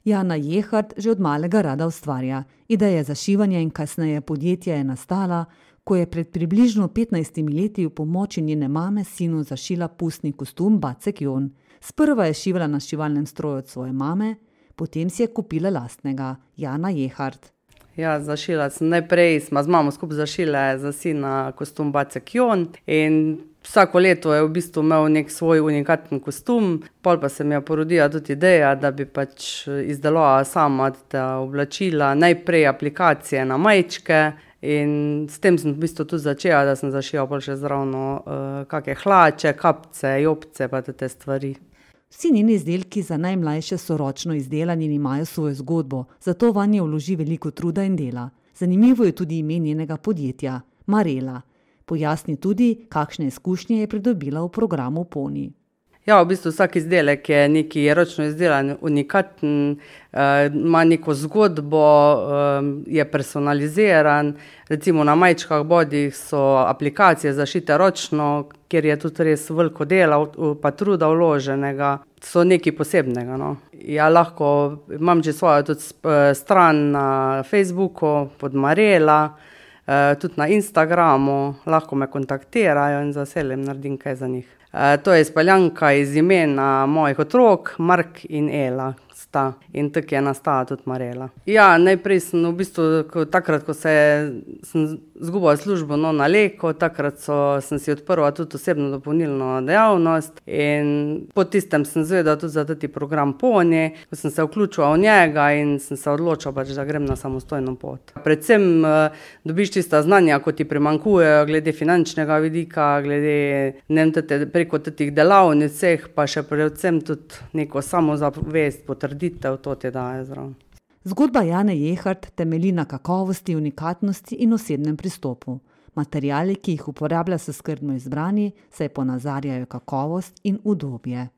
Jana Jehart že od malega rada ustvarja. Ideja za šivanje in kasneje podjetje je nastala, ko je pred približno 15 leti v pomoči njene mame sinu zašila pustni kostum Bacek Jon. Sprva je šivala na šivalnem stroju od svoje mame, potem si je kupila lastnega, Jana Jehart. Ja, zašila sem najprej, smo z mamo skupaj zašile za sina kostum Bacek Jon in vsako leto je v bistvu imel nek svoj unikaten kostum, pol pa se mi je porodila tudi ideja, da bi pač izdelovala sama ta oblačila, najprej aplikacije na majčke in s tem sem v bistvu tudi začela, da sem zašila pol še zravno kakšne hlače, kapce, jopce pa te stvari. Vsi njeni izdelki za najmlajše so ročno izdelani in imajo svojo zgodbo, zato vanje vloži veliko truda in dela. Zanimivo je tudi ime njenega podjetja, Marela. Pojasni tudi, kakšne izkušnje je pridobila v programu Poni. Ja, v bistvu vsak izdelek je neki ročno izdelan, unikaten, ima neko zgodbo, je personaliziran. Recimo na majčkah bodih so aplikacije zašite ročno, kjer je tudi res veliko dela pa truda vloženega. So nekaj posebnega, no. Ja, lahko imam že svojo tudi stran na Facebooku pod Marela, tudi na Instagramu, lahko me kontaktirajo in z veseljem naredim kaj za njih. To je izpeljanka iz imena mojih otrok, Mark in Ela sta. In tako je nastala tudi Marela. Ja, najprej sem v bistvu, takrat, ko sem izgubila službo na Leko, takrat sem si odprla tudi osebno dopolnilno dejavnost in po tistem sem izvedela tudi za tati program Poni, ko sem se vključila v njega in sem se odločila pač, da grem na samostojno pot. Predvsem dobiš tista znanja, ko ti primanjkujejo glede finančnega vidika, glede preko tatih delavnic vseh, pa še predvsem tudi neko samozavest, potrditev, to ti daje zraven. Zgodba Jane Jehart temelji na kakovosti, unikatnosti in osebnem pristopu. Materiali, ki jih uporablja, so skrbno izbrani, saj ponazarjajo kakovost in udobje.